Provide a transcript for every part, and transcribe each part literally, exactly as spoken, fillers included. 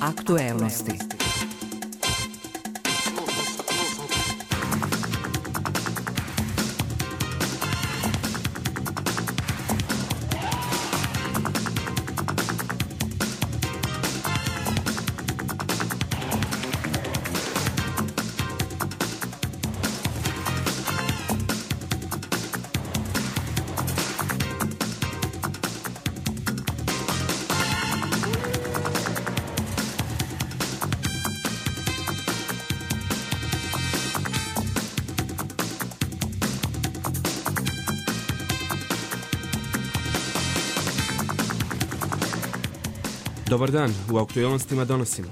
Aktuelnosti. Dobar dan, u aktuelnostima donosimo.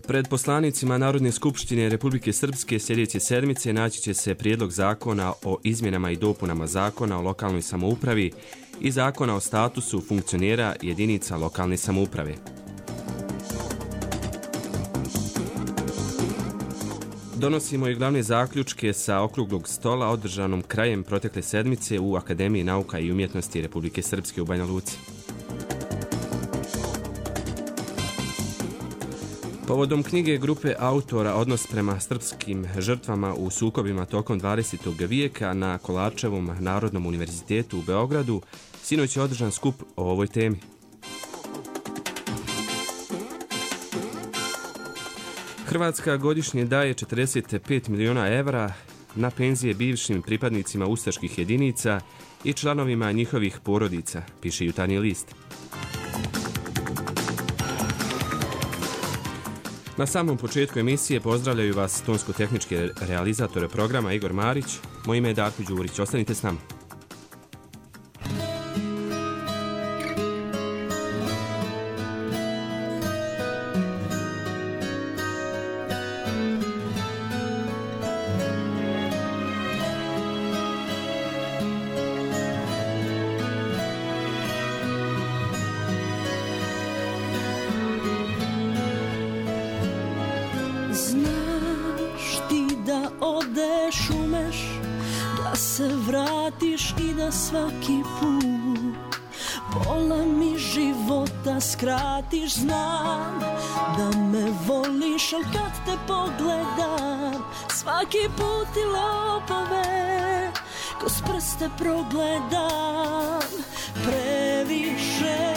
Pred poslanicima Narodne skupštine Republike Srpske sljedeće sedmice naći će se prijedlog zakona o izmjenama i dopunama zakona o lokalnoj samoupravi i zakona o statusu funkcionera jedinica lokalne samouprave. Donosimo i glavne zaključke sa okruglog stola održanom krajem protekle sedmice u Akademiji nauka i umjetnosti Republike Srpske u Banja Luci. Povodom knjige grupe autora Odnos prema srpskim žrtvama u sukobima tokom dvadesetog vijeka na Kolarčevom Narodnom univerzitetu u Beogradu, sinoć je održan skup o ovoj temi. Hrvatska godišnje daje četrdeset pet miliona evra na penzije bivšim pripadnicima ustaških jedinica i članovima njihovih porodica, piše Jutarnji list. Na samom početku emisije pozdravljaju vas tonsko-tehnički realizatore programa Igor Marić. Moje ime je Darko Đurić. Ostanite s nama. Svaki put pola mi života skratiš, znam da me voliš, al kad te pogledam svaki put ti lopove kroz prste progledam. Previše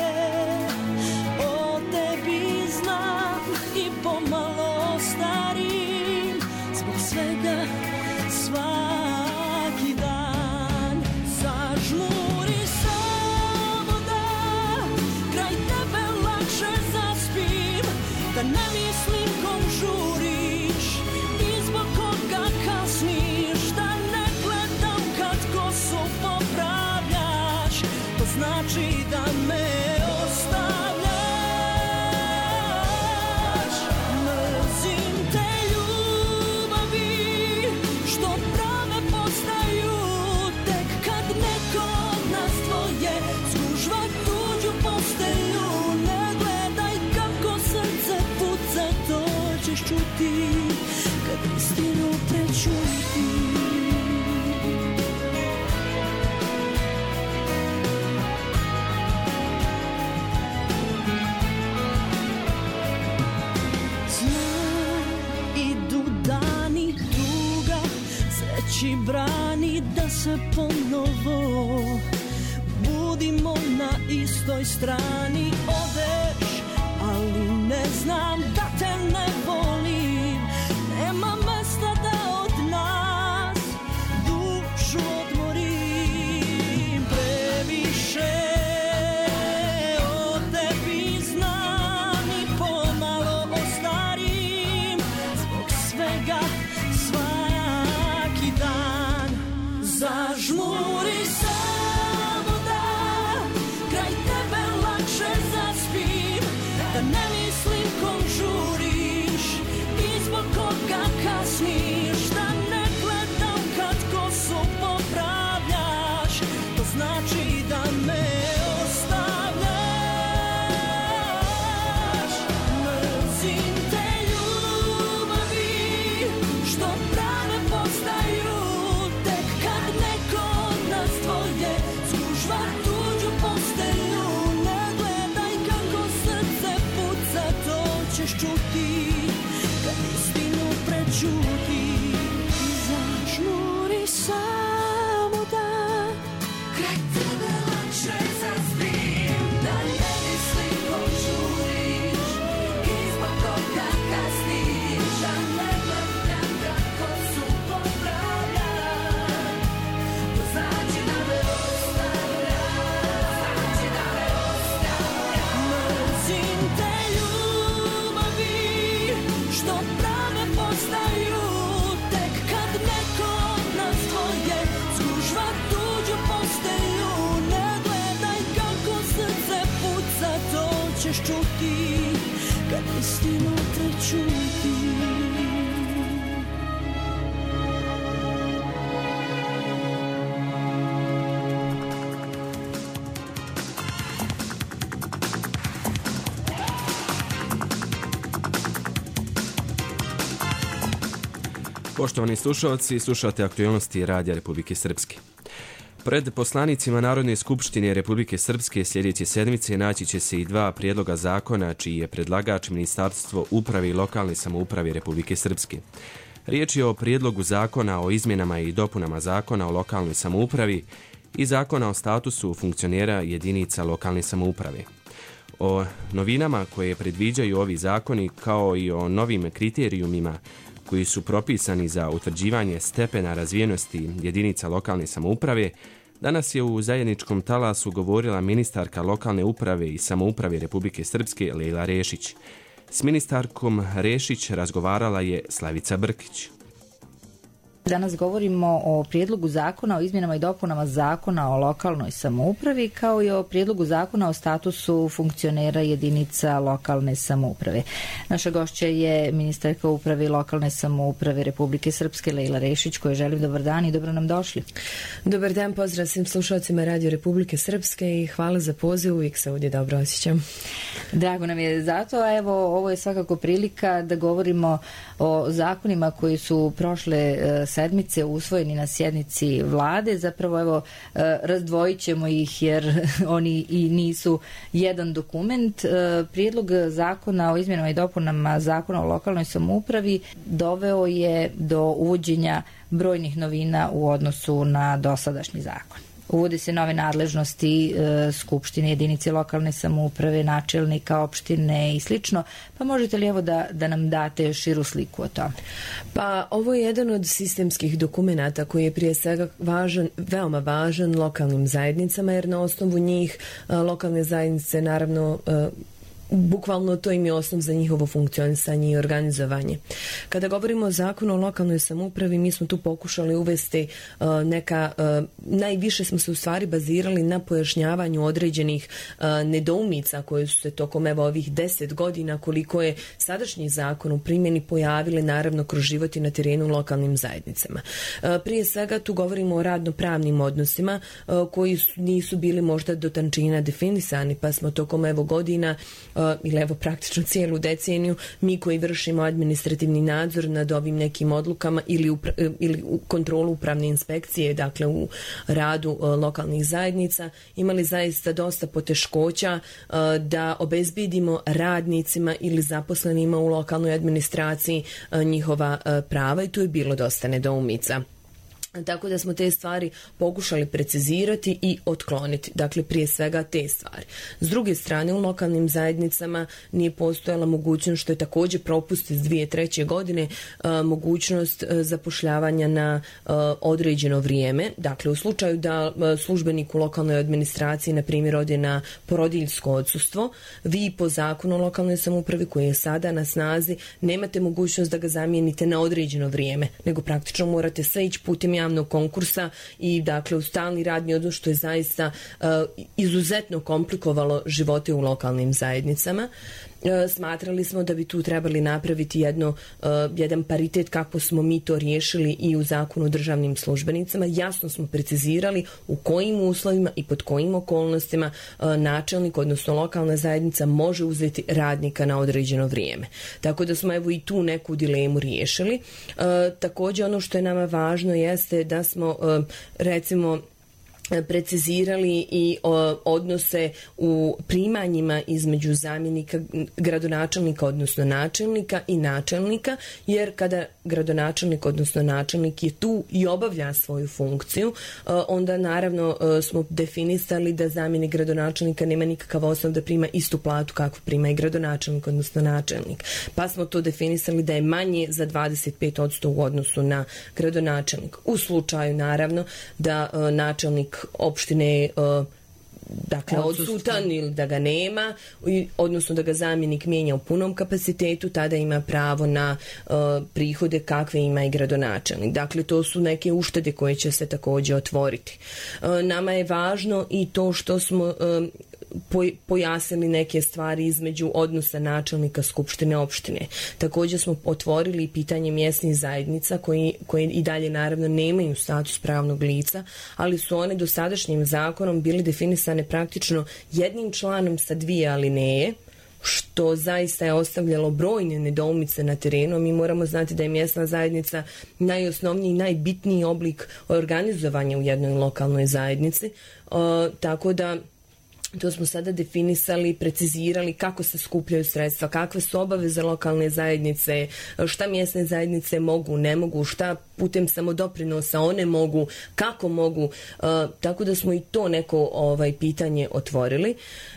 o tebi znam i pomalo starim zbog svega svaki dan. Žmuri samo da kraj tebe lakše zaspim, da ne mislim kom žuriš i zbog koga kasniš, da ne gledam kad kosu popravljaš, to znači da me ostavljaš. Mrzim te ljubavi što prave postaju neko od nas dvoje zgužva tuđu postelju. Ne gledaj kako srce puca, to ćeš čuti kad istinu prečuti. Znam, idu dani, tuga sreći brani da se ponovo budimo na istoj strani. Odeš, ali ne znam da te ne volim, nema mesta da od nas dušu odmorim. Previše o tebi znam i pomalo ostarim zbog svega svaki dan. Zažmuri samo da kraj tebe lakše zaspim, da ne mislim kom žuriš i zbog koga kasniš, da ne gledam kad kosu popravljaš, to znači da me ostavljaš. Mrzim te ljubavi što prave postaju tek kad neko od nas dvoje zgužva tuđu postelju. Ne gledam ćeš čuti kad istina prećuti. Poštovani slušalci, slušate aktualnosti Radija Republike Srpske. Pred poslanicima Narodne skupštine Republike Srpske sljedeće sedmice naći će se i dva prijedloga zakona čiji je predlagač Ministarstvo uprave i lokalne samouprave Republike Srpske. Riječ je o prijedlogu zakona o izmjenama i dopunama zakona o lokalnoj samoupravi i zakona o statusu funkcionera jedinica lokalne samouprave. O novinama koje predviđaju ovi zakoni kao i o novim kriterijumima koji su propisani za utvrđivanje stepena razvijenosti jedinica lokalne samouprave, danas je u zajedničkom talasu govorila ministarka lokalne uprave i samouprave Republike Srpske Lejla Rešić. S ministarkom Rešić razgovarala je Slavica Brkić. Danas govorimo o prijedlogu zakona o izmjenama i dopunama zakona o lokalnoj samoupravi kao i o prijedlogu zakona o statusu funkcionera jedinica lokalne samouprave. Naša gošća je ministarka uprave i lokalne samouprave Republike Srpske Lejla Rešić, kojoj želim dobar dan i dobro nam došli. Dobar dan, pozdrav svim slušalcima Radio Republike Srpske i hvala za poziv, uvijek se ovdje dobro osjećam. Drago nam je zato, a evo ovo je svakako prilika da govorimo o zakonima koji su prošle sedmice usvojeni na sjednici vlade. Zapravo evo razdvojit ćemo ih jer oni i nisu jedan dokument. Prijedlog zakona o izmjenama i dopunama zakona o lokalnoj samoupravi doveo je do uvođenja brojnih novina u odnosu na dosadašnji zakon. Uvode se nove nadležnosti e, Skupštine, jedinice lokalne samouprave, načelnika opštine i slično. Pa možete li evo da, da nam date širu sliku o tome? Pa ovo je jedan od sistemskih dokumenata koji je prije svega važan, veoma važan lokalnim zajednicama, jer na osnovu njih a, lokalne zajednice naravno a, bukvalno to im je osnov za njihovo funkcionisanje i organizovanje. Kada govorimo o zakonu o lokalnoj samoupravi, mi smo tu pokušali uvesti uh, neka, uh, najviše smo se u stvari bazirali na pojašnjavanju određenih uh, nedoumica koje su se tokom evo ovih deset godina koliko je sadašnji zakon u primjeni pojavile naravno kroz život i na terenu lokalnim zajednicama. Uh, prije svega tu govorimo o radno-pravnim odnosima uh, koji su, nisu bili možda do tančina definisani, pa smo tokom evo godina uh, ili evo praktično cijelu deceniju mi koji vršimo administrativni nadzor nad ovim nekim odlukama ili, upra, ili u kontrolu upravne inspekcije, dakle u radu uh, lokalnih zajednica, imali zaista dosta poteškoća uh, da obezbedimo radnicima ili zaposlenima u lokalnoj administraciji uh, njihova uh, prava i tu je bilo dosta nedoumica. Tako da smo te stvari pokušali precizirati i otkloniti. Dakle, prije svega te stvari. S druge strane, u lokalnim zajednicama nije postojala mogućnost, što je također propust iz dvije tisuće treće godine, mogućnost zapošljavanja na određeno vrijeme. Dakle, u slučaju da službenik u lokalnoj administraciji, na primjer, ode na porodiljsko odsustvo, vi po zakonu o lokalnoj samoupravi koji je sada na snazi nemate mogućnost da ga zamijenite na određeno vrijeme, nego praktično morate sve ići putem javnog konkursa i dakle u stalni radni odnos, što je zaista uh, izuzetno komplikovalo živote u lokalnim zajednicama. Smatrali smo da bi tu trebali napraviti jedno, uh, jedan paritet kako smo mi to riješili i u zakonu o državnim službenicama. Jasno smo precizirali u kojim uslovima i pod kojim okolnostima uh, načelnik, odnosno lokalna zajednica može uzeti radnika na određeno vrijeme. Tako da smo evo i tu neku dilemu riješili. Uh, također ono što je nama važno jeste da smo uh, recimo precizirali i o, odnose u primanjima između zamjenika gradonačelnika, odnosno načelnika i načelnika, jer kada gradonačelnik, odnosno načelnik je tu i obavlja svoju funkciju, onda naravno smo definisali da zamjenik gradonačelnika nema nikakav osnov da prima istu platu kakvu prima i gradonačelnik, odnosno načelnik. Pa smo to definisali da je manje za dvadeset pet posto u odnosu na gradonačelnik. U slučaju naravno da načelnik opštine uh, dakle odsutan ili da ga nema, odnosno da ga zamjenik mijenja u punom kapacitetu, tada ima pravo na uh, prihode kakve ima i gradonačelnik. Dakle, to su neke uštede koje će se također otvoriti. Uh, nama je važno i to što smo uh, pojasnili neke stvari između odnosa načelnika skupštine opštine. Također smo otvorili pitanje mjesnih zajednica koji, koji i dalje naravno nemaju status pravnog lica, ali su one dosadašnjim zakonom bili definisane praktično jednim članom sa dvije alineje, što zaista je ostavljalo brojne nedoumice na terenu. Mi moramo znati da je mjesna zajednica najosnovniji i najbitniji oblik organizovanja u jednoj lokalnoj zajednici, uh, tako da to smo sada definisali, precizirali kako se skupljaju sredstva, kakve su obaveze lokalne zajednice, šta mjesne zajednice mogu, ne mogu, šta putem samodoprinosa one mogu, kako mogu, uh, tako da smo i to neko ovaj pitanje otvorili.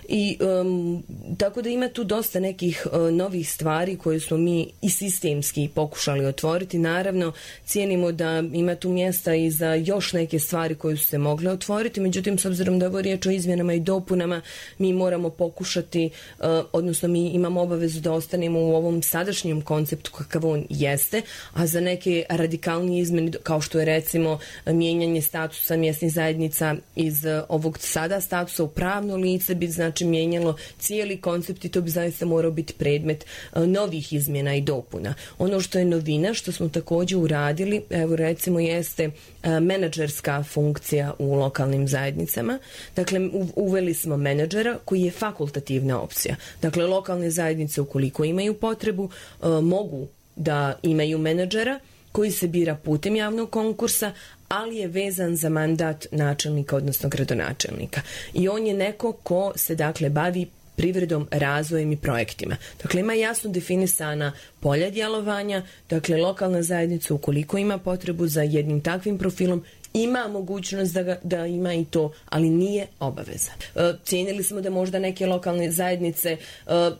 I um, tako da ima tu dosta nekih uh, novih stvari koje smo mi i sistemski pokušali otvoriti. Naravno, cijenimo da ima tu mjesta i za još neke stvari koje su se mogle otvoriti, međutim, s obzirom da je ovo riječ o izmjenama i dopunama, mi moramo pokušati, uh, odnosno mi imamo obavezu da ostanemo u ovom sadašnjem konceptu kakav on jeste, a za neke radikalnije izmjene, kao što je recimo mijenjanje statusa mjesnih zajednica iz uh, ovog sada statusa u pravno lice, bi znači mijenjalo cijeli koncept i to bi zaista morao biti predmet uh, novih izmjena i dopuna. Ono što je novina, što smo također uradili, evo recimo jeste uh, menadžerska funkcija u lokalnim zajednicama. Dakle, u, uveli smo menadžera koji je fakultativna opcija. Dakle, lokalne zajednice ukoliko imaju potrebu uh, mogu da imaju menadžera koji se bira putem javnog konkursa, ali je vezan za mandat načelnika, odnosno gradonačelnika. I on je neko ko se dakle bavi privredom, razvojem i projektima. Dakle, ima jasno definisana polja djelovanja, dakle, lokalna zajednica ukoliko ima potrebu za jednim takvim profilom, ima mogućnost da, ga, da ima i to, ali nije obaveza. E, cijenili smo da možda neke lokalne zajednice, e,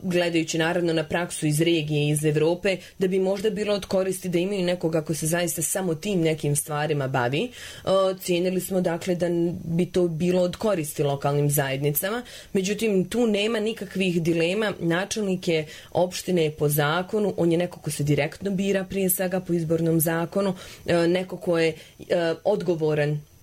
gledajući naravno na praksu iz regije, iz Evrope, da bi možda bilo od koristi da imaju nekoga ko se zaista samo tim nekim stvarima bavi. E, cijenili smo dakle da bi to bilo od koristi lokalnim zajednicama, međutim tu nema nikakvih dilema. Načelnik je opštine po zakonu, on je neko ko se direktno bira prije svega po izbornom zakonu, e, neko ko je e, odgovoran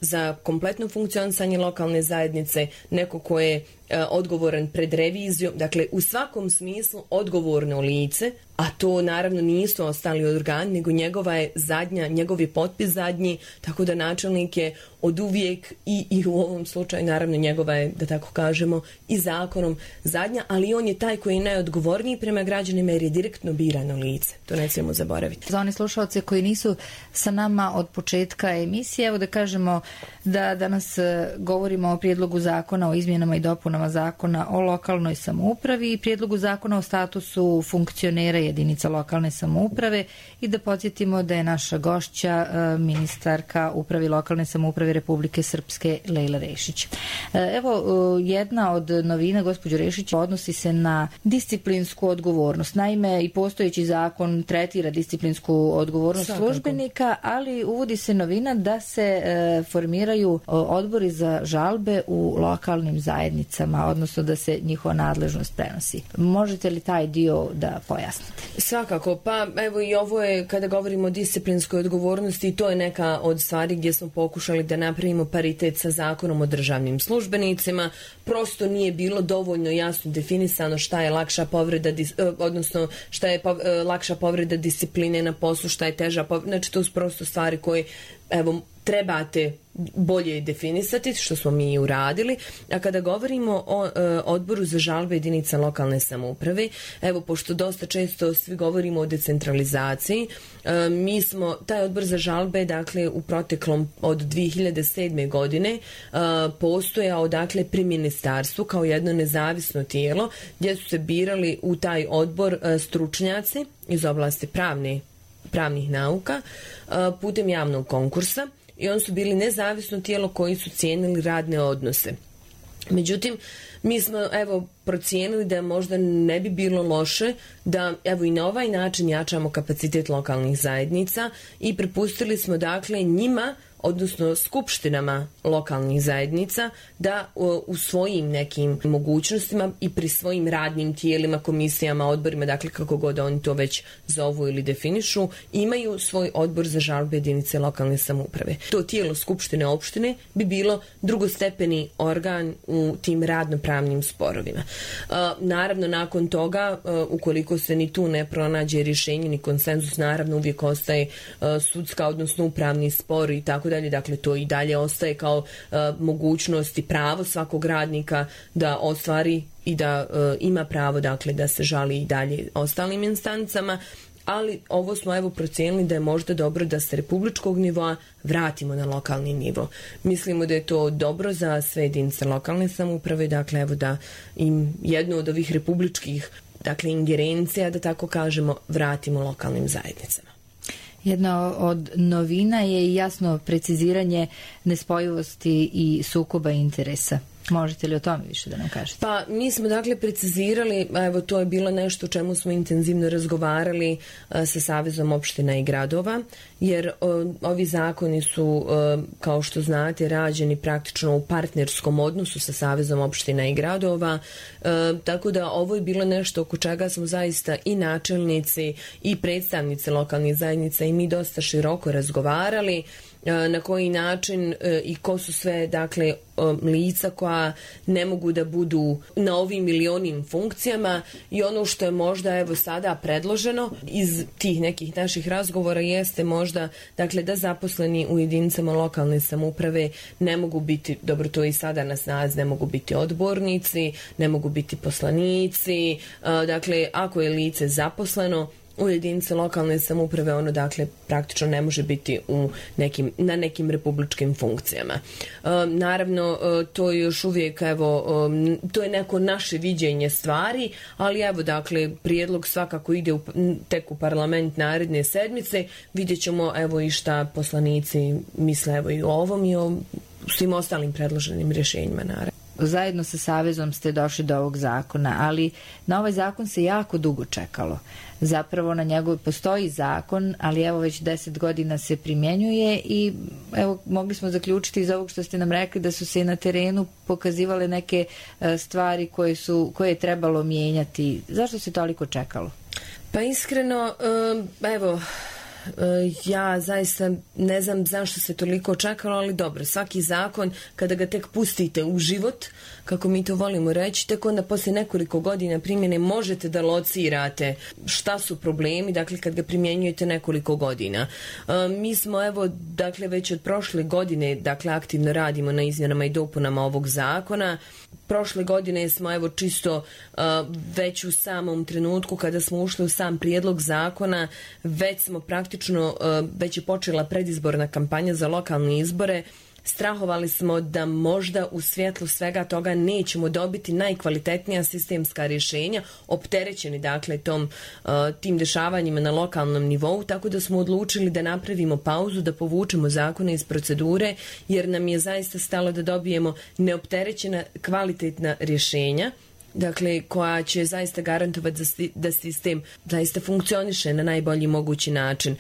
za kompletno funkcionisanje lokalne zajednice, neko ko je e, odgovoran pred revizijom, dakle u svakom smislu odgovorno lice, a to naravno nisu ostali organi, nego njegova je zadnja, njegov je potpis zadnji, tako da načelnik je od uvijek i, i u ovom slučaju naravno njegova je, da tako kažemo, i zakonom zadnja, ali on je taj koji je najodgovorniji prema građanima jer je direktno birano lice. To ne smijemo zaboraviti. Za one slušalce koji nisu sa nama od početka emisije, evo da kažemo da danas govorimo o prijedlogu zakona o izmjenama i dopunama zakona o lokalnoj samoupravi i prijedlogu zakona o statusu funkcionera jedinica lokalne samouprave i da podsjetimo da je naša gošća ministarka upravi lokalne samouprave Republike Srpske Lejla Rešić. Evo, jedna od novina, gospođo Rešić, odnosi se na disciplinsku odgovornost. Naime, i postojeći zakon tretira disciplinsku odgovornost Svakako. službenika, ali uvodi se novina da se formiraju odbori za žalbe u lokalnim zajednicama, odnosno da se njihova nadležnost prenosi. Možete li taj dio da pojasnite? Svakako, pa evo i ovo je, kada govorimo o disciplinskoj odgovornosti, to je neka od stvari gdje smo pokušali da napravimo paritet sa zakonom o državnim službenicima. Prosto nije bilo dovoljno jasno definisano šta je lakša povreda, odnosno šta je lakša povreda discipline na poslu, šta je teža povreda. Znači, to su prosto stvari koje, evo, trebate bolje definisati, što smo mi i uradili. A kada govorimo o e, odboru za žalbe jedinica lokalne samouprave, evo, pošto dosta često svi govorimo o decentralizaciji, e, mi smo, taj odbor za žalbe, dakle, u proteklom od dvije hiljade sedme. godine e, postojao, dakle, pri ministarstvu kao jedno nezavisno tijelo, gdje su se birali u taj odbor e, stručnjaci iz oblasti pravne, pravnih nauka e, putem javnog konkursa. I oni su bili nezavisno tijelo koji su cijenili radne odnose. Međutim, mi smo evo procijenili da možda ne bi bilo loše da evo i na ovaj način jačamo kapacitet lokalnih zajednica i prepustili smo dakle njima odnosno skupštinama lokalnih zajednica da u svojim nekim mogućnostima i pri svojim radnim tijelima, komisijama, odborima, dakle kako god oni to već zovu ili definišu, imaju svoj odbor za žalbe jedinice lokalne samouprave. To tijelo skupštine opštine bi bilo drugostepeni organ u tim radnopravnim sporovima. Naravno, nakon toga, ukoliko se ni tu ne pronađe rješenje ni konsenzus, naravno uvijek ostaje sudska, odnosno upravni spor i tako dalje. Dakle, to i dalje ostaje kao uh, mogućnost i pravo svakog radnika da ostvari i da uh, ima pravo, dakle, da se žali i dalje ostalim instancama, ali ovo smo evo procijenili da je možda dobro da se republičkog nivoa vratimo na lokalni nivo. Mislimo da je to dobro za sve jedinice lokalne samouprave, dakle, evo da im jednu od ovih republičkih, dakle, ingerencija, da tako kažemo, vratimo lokalnim zajednicama. Jedna od novina je i jasno preciziranje nespojivosti i sukoba interesa. Možete li o tome više da nam kažete? Pa mi smo dakle precizirali, evo to je bilo nešto o čemu smo intenzivno razgovarali a, sa Savezom opština i gradova, jer o, ovi zakoni su, a, kao što znate, rađeni praktično u partnerskom odnosu sa Savezom opština i gradova, a, tako da ovo je bilo nešto oko čega smo zaista i načelnici i predstavnici lokalnih zajednica i mi dosta široko razgovarali, na koji način i ko su sve, dakle, lica koja ne mogu da budu na ovim ili onim funkcijama, i ono što je možda evo sada predloženo iz tih nekih naših razgovora jeste možda, dakle, da zaposleni u jedinicama lokalne samouprave ne mogu biti, dobro, to i sada na snazi, ne mogu biti odbornici, ne mogu biti poslanici, dakle, ako je lice zaposleno u jedinice lokalne samouprave, ono dakle praktično ne može biti u nekim, na nekim republičkim funkcijama. E, naravno, e, to je još uvijek, evo, e, to je neko naše viđenje stvari, ali evo, dakle, prijedlog svakako ide u, tek u parlament naredne sedmice, vidjet ćemo, evo, i šta poslanici misle, evo, i o ovom i o svim ostalim predloženim rješenjima, naravno. Zajedno sa Savezom ste došli do ovog zakona, ali na ovaj zakon se jako dugo čekalo. Zapravo na njegov postoji zakon, ali evo već deset godina se primjenjuje i evo mogli smo zaključiti iz ovog što ste nam rekli da su se i na terenu pokazivale neke stvari koje su, koje je trebalo mijenjati. Zašto se toliko čekalo? Pa iskreno, evo, ja zaista ne znam zašto se toliko čekalo, ali dobro, svaki zakon kada ga tek pustite u život, kako mi to volimo reći, tek onda poslije nekoliko godina primjene možete da locirate šta su problemi, dakle kad ga primjenjujete nekoliko godina. Mi smo evo, dakle već od prošle godine, dakle aktivno radimo na izmjenama i dopunama ovog zakona. Prošle godine smo evo čisto uh, već u samom trenutku kada smo ušli u sam prijedlog zakona, već smo praktično, uh, već je počela predizborna kampanja za lokalne izbore. Strahovali smo da možda u svjetlu svega toga nećemo dobiti najkvalitetnija sistemska rješenja, opterećeni dakle tom, uh, tim dešavanjima na lokalnom nivou, tako da smo odlučili da napravimo pauzu, da povučemo zakone iz procedure, jer nam je zaista stalo da dobijemo neopterećena kvalitetna rješenja, dakle, koja će zaista garantovati da sistem zaista funkcioniše na najbolji mogući način.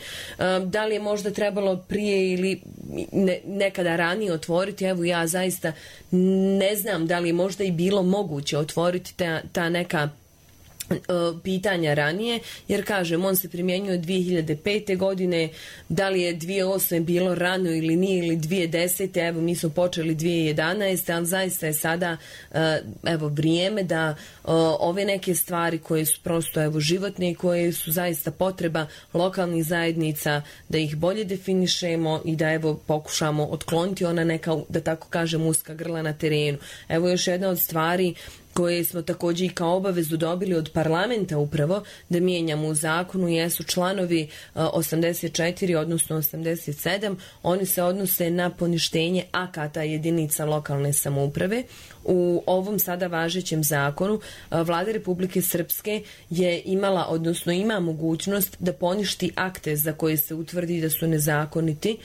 Da li je možda trebalo prije ili ne, nekada ranije otvoriti, evo ja zaista ne znam da li je možda i bilo moguće otvoriti ta, ta neka pitanja ranije, jer kažem, on se primjenjuje od dvije hiljade pete. godine, da li je dvije hiljade osme bilo rano ili nije, ili dvije hiljade desete. evo mi smo počeli dvije hiljade jedanaeste. ali zaista je sada evo vrijeme da ove neke stvari koje su prosto evo životne i koje su zaista potreba lokalnih zajednica, da ih bolje definišemo i da evo pokušamo otkloniti ona neka, da tako kažem, uska grla na terenu. Evo još jedna od stvari koje smo također i kao obavezu dobili od parlamenta upravo da mijenjamo u zakonu jesu članovi osamdeset četiri odnosno osamdeset sedam. Oni se odnose na poništenje akata jedinica lokalne samouprave. U ovom sada važećem zakonu Vlada Republike Srpske je imala, odnosno ima mogućnost da poništi akte za koje se utvrdi da su nezakoniti,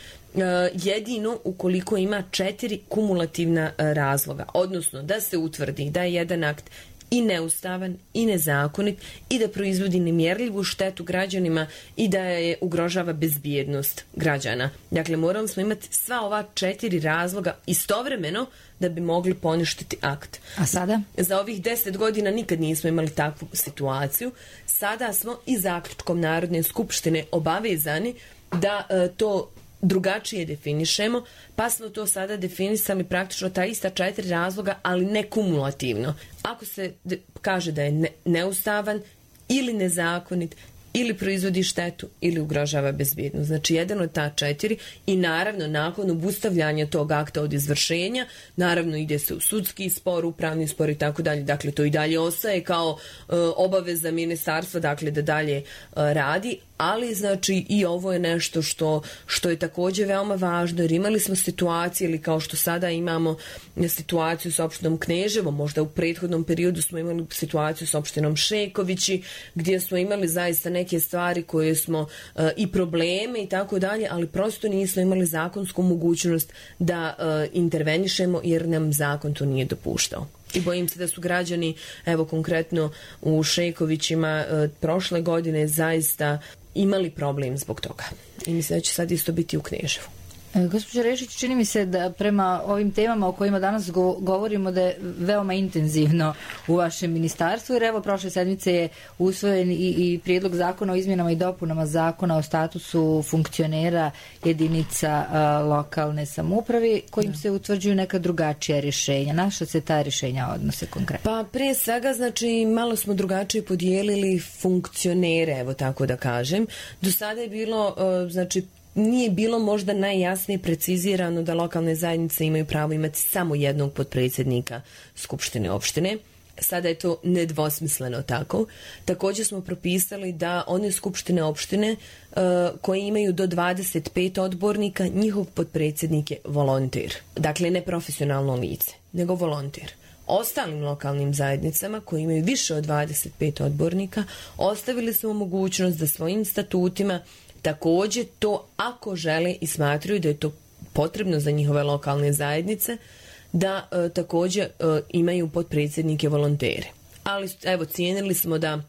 jedino ukoliko ima četiri kumulativna razloga, odnosno da se utvrdi da je jedan akt i neustavan i nezakonit i da proizvodi nemjerljivu štetu građanima i da je ugrožava bezbjednost građana. Dakle, morali smo imati sva ova četiri razloga istovremeno da bi mogli poništiti akt. A sada? Za ovih deset godina nikad nismo imali takvu situaciju. Sada smo i zaključkom Narodne skupštine obavezani da e, to drugačije definišemo, pa smo to sada definisali praktično ta ista četiri razloga, ali ne kumulativno. Ako se de- kaže da je ne- neustavan ili nezakonit, ili proizvodi štetu, ili ugrožava bezbjednost. Znači, jedan od ta četiri i naravno nakon obustavljanja tog akta od izvršenja, naravno ide se u sudski spor, upravni spor i tako dalje. Dakle, to i dalje ostaje kao e, obaveza ministarstva, dakle, da dalje e, radi, ali znači i ovo je nešto što, što je također veoma važno, jer imali smo situacije, ili kao što sada imamo situaciju s opštinom Kneževo, možda u prethodnom periodu smo imali situaciju s opštinom Šekovići, gdje smo imali zaista neke stvari koje smo e, i probleme i tako dalje, ali prosto nismo imali zakonsku mogućnost da e, intervenišemo, jer nam zakon to nije dopuštao. I bojim se da su građani, evo konkretno u Šekovićima e, prošle godine zaista imali problem zbog toga. I mislim da će sad isto biti u Kneževu. Gospođo Rešić, čini mi se da prema ovim temama o kojima danas go- govorimo da je veoma intenzivno u vašem ministarstvu, jer evo prošle sedmice je usvojen i, i prijedlog zakona o izmjenama i dopunama zakona o statusu funkcionera jedinica a, lokalne samouprave, kojim da. se utvrđuju neka drugačija rješenja. Na što se ta rješenja odnose konkretno? Pa prije svega, znači, malo smo drugačije podijelili funkcionere, evo tako da kažem. Do sada je bilo, uh, znači, nije bilo možda najjasnije precizirano da lokalne zajednice imaju pravo imati samo jednog potpredsjednika skupštine opštine. Sada je to nedvosmisleno tako. Također smo propisali da one skupštine opštine uh, koje imaju do dvadeset pet odbornika, njihov potpredsjednik je volonter. Dakle, ne profesionalno lice, nego volonter. Ostalim lokalnim zajednicama koji imaju više od dvadeset pet odbornika ostavili smo mogućnost da svojim statutima također to, ako žele i smatraju da je to potrebno za njihove lokalne zajednice, da e, također e, imaju potpredsjednike volontere. Ali evo, cijenili smo da,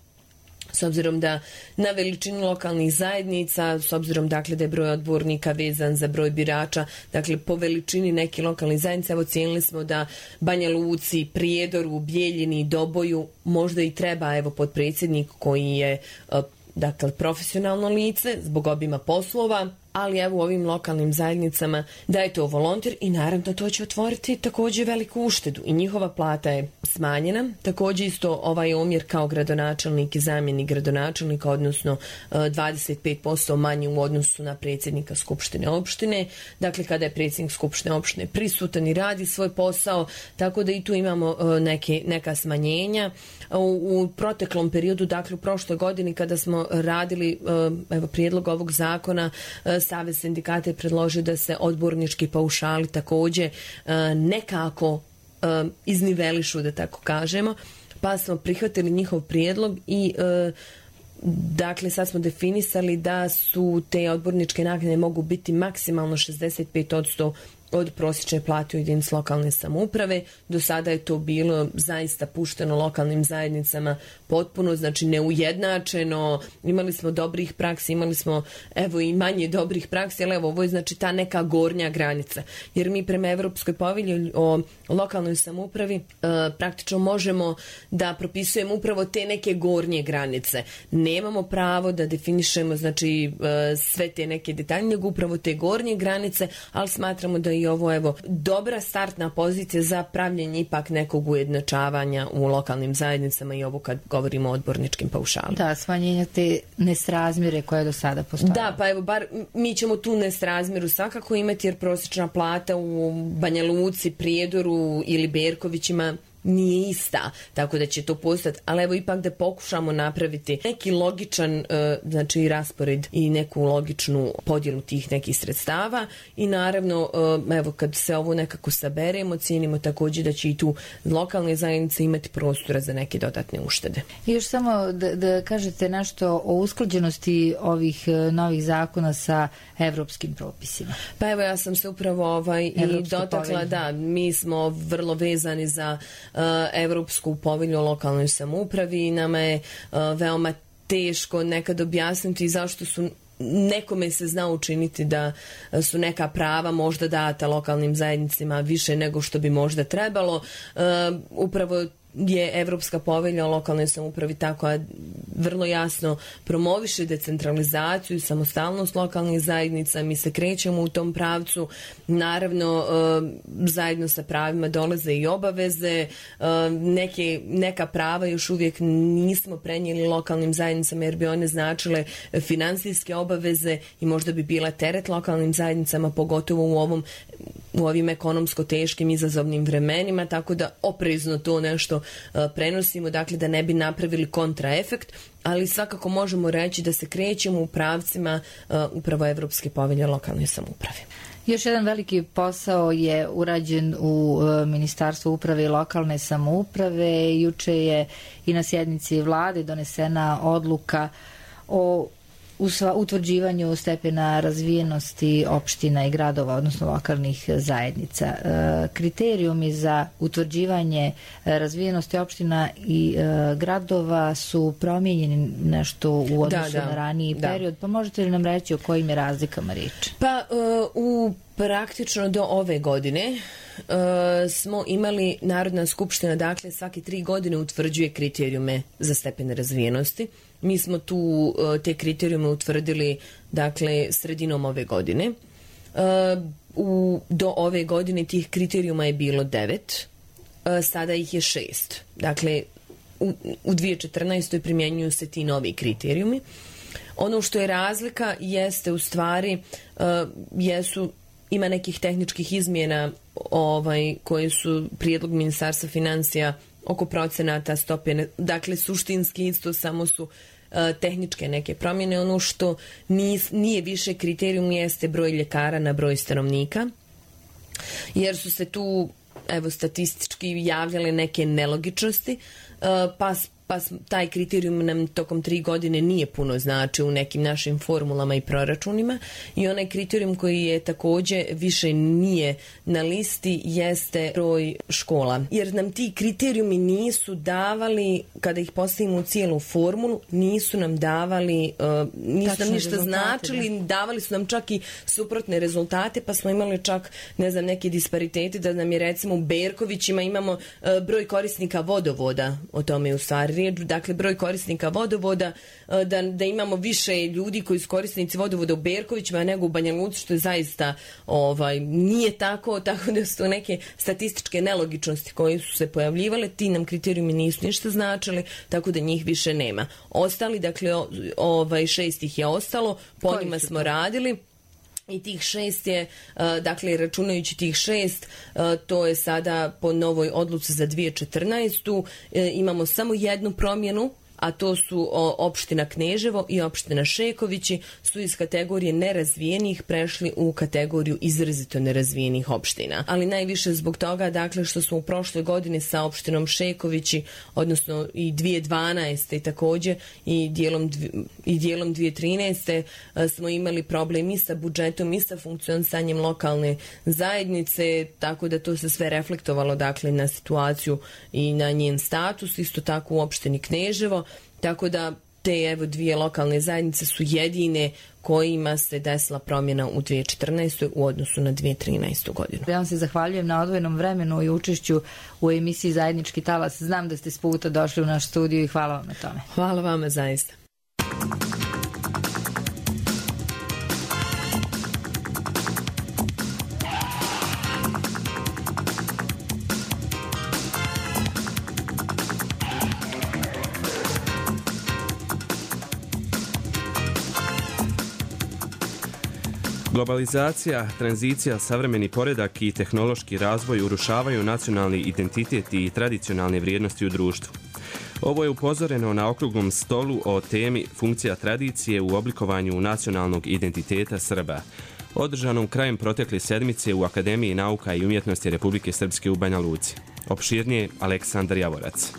s obzirom da na veličinu lokalnih zajednica, s obzirom dakle da je broj odbornika vezan za broj birača, dakle po veličini neke lokalne zajednice, evo cijenili smo da Banja Luci, Prijedoru, Bijeljini, Doboju možda i treba evo potpredsjednik koji je e, dakle profesionalno lice zbog obima poslova, ali evo u ovim lokalnim zajednicama da je to volonter i naravno to će otvoriti također veliku uštedu i njihova plata je smanjena. Također isto ovaj omjer kao gradonačelnik i zamjenik gradonačelnika, odnosno dvadeset pet posto manje u odnosu na predsjednika skupštine opštine. Dakle, kada je predsjednik skupštine opštine prisutan i radi svoj posao, tako da i tu imamo neke, neka smanjenja. U, u proteklom periodu, dakle u prošloj godini kada smo radili evo, prijedlog ovog zakona, Savez sindikata je predložio da se odbornički paušali također nekako iznivelišu, da tako kažemo, pa smo prihvatili njihov prijedlog i dakle sad smo definisali da su te odborničke naknade mogu biti maksimalno šezdeset pet posto od prosječne plate u jedinici lokalne samouprave. Do sada je to bilo zaista pušteno lokalnim zajednicama potpuno, znači neujednačeno. Imali smo dobrih praksi, imali smo evo i manje dobrih praksi, ali evo ovo je znači ta neka gornja granica. Jer mi prema Evropskoj povelji o lokalnoj samoupravi e, praktično možemo da propisujemo upravo te neke gornje granice. Nemamo pravo da definišemo znači e, sve te neke detalje, nego upravo te gornje granice, ali smatramo da i ovo evo dobra startna pozicija za pravljenje ipak nekog ujednačavanja u lokalnim zajednicama i ovo kad govorimo o odborničkim paušalima. Da, smanjenja te nesrazmjere koje do sada postoje. Da, pa evo bar mi ćemo tu nesrazmjeru svakako imati, jer prosječna plata u Banja Luci, Prijedoru ili Berkovićima nije ista, tako da će to postati, ali evo ipak da pokušamo napraviti neki logičan e, znači raspored i neku logičnu podjelu tih nekih sredstava i naravno e, evo kad se ovo nekako saberemo, cijenimo također da će i tu lokalne zajednice imati prostora za neke dodatne uštede. I još samo da, da kažete nešto o usklađenosti ovih novih zakona sa evropskim propisima. Pa evo ja sam se upravo ovaj i dotakla, da, mi smo vrlo vezani za Evropsku povelju o lokalnoj samoupravi i nama je veoma teško nekad objasniti zašto su nekome se zna učiniti da su neka prava možda data lokalnim zajednicama više nego što bi možda trebalo. Upravo je Evropska povelja o lokalnoj samoupravi tako vrlo jasno promoviše decentralizaciju i samostalnost lokalnih zajednica. Mi se krećemo u tom pravcu. Naravno, zajedno sa pravima dolaze i obaveze. Neke, neka prava još uvijek nismo prenijeli lokalnim zajednicama jer bi one značile finansijske obaveze i možda bi bila teret lokalnim zajednicama, pogotovo u ovom u ovim ekonomsko teškim izazovnim vremenima, tako da oprezno to nešto prenosimo, dakle da ne bi napravili kontraefekt, ali svakako možemo reći da se krećemo u pravcima upravo Evropske povelje o lokalnoj samoupravi. Još jedan veliki posao je urađen u Ministarstvu uprave i lokalne samouprave. Juče je i na sjednici vlade donesena odluka o u utvrđivanju stepena razvijenosti opština i gradova, odnosno lokalnih zajednica. Kriterijumi za utvrđivanje razvijenosti opština i gradova su promijenjeni nešto u odnosu da, da, na raniji da. period, pa možete li nam reći o kojim je razlikama riječ? Pa u praktično do ove godine uh, smo imali Narodna skupština, dakle svake tri godine utvrđuje kriterijume za stepene razvijenosti. Mi smo tu uh, te kriterijume utvrdili dakle sredinom ove godine. Uh, u, do ove godine tih kriterijuma je bilo devet, uh, sada ih je šest. Dakle, u, u dvije tisuće četrnaestoj primjenjuju se ti novi kriterijumi. Ono što je razlika jeste u stvari uh, jesu ima nekih tehničkih izmjena ovaj, koje su prijedlog Ministarstva financija oko procenata stope, dakle suštinski isto samo su uh, tehničke neke promjene. Ono što nis, nije više kriterijum jeste broj ljekara na broj stanovnika, jer su se tu evo statistički javljale neke nelogičnosti, uh, pa pa taj kriterijum nam tokom tri godine nije puno znači u nekim našim formulama i proračunima i onaj kriterijum koji je također više nije na listi jeste broj škola. Jer nam ti kriterijumi nisu davali, kada ih postavimo u cijelu formulu, nisu nam davali, uh, nisu nam ništa značili, ne? Davali su nam čak i suprotne rezultate, pa smo imali čak, ne znam, neke disparitete da nam je recimo u Berkovićima imamo uh, broj korisnika vodovoda, o tome je u stvari riječ, dakle broj korisnika vodovoda, da, da imamo više ljudi koji su korisnici vodovoda u Berkovićima nego u Banja Luci, što je zaista ovaj, nije tako, tako da su to neke statističke nelogičnosti koje su se pojavljivale, ti nam kriterijumi nisu ništa značili, tako da njih više nema. Ostali, dakle ovaj, šest ih je ostalo, po njima smo radili. I tih šest je, dakle, računajući tih šest, to je sada po novoj odluci za dvije tisuće četrnaestu. Imamo samo jednu promjenu, a to su opština Kneževo i opština Šekovići, su iz kategorije nerazvijenih prešli u kategoriju izrazito nerazvijenih opština. Ali najviše zbog toga, dakle, što smo u prošloj godini sa opštinom Šekovići, odnosno i dvije tisuće dvanaeste i također i dijelom, i dijelom dvije tisuće trinaeste smo imali problem i sa budžetom i sa funkcionisanjem lokalne zajednice, tako da to se sve reflektovalo, dakle, na situaciju i na njen status, isto tako u opštini Kneževo. Tako da te evo dvije lokalne zajednice su jedine kojima se desila promjena u dvije tisuće četrnaestoj u odnosu na dvije tisuće trinaestu godinu. Ja vam se zahvaljujem na odvojenom vremenu i učešću u emisiji Zajednički talas. Znam da ste s puta došli u naš studiju i hvala vam na tome. Hvala vama zaista. Globalizacija, tranzicija, savremeni poredak i tehnološki razvoj urušavaju nacionalni identitet i tradicionalne vrijednosti u društvu. Ovo je upozoreno na okruglom stolu o temi funkcija tradicije u oblikovanju nacionalnog identiteta Srba, održanom krajem protekle sedmice u Akademiji nauka i umjetnosti Republike Srpske u Banja Luci. Opširnije Aleksandar Javorac.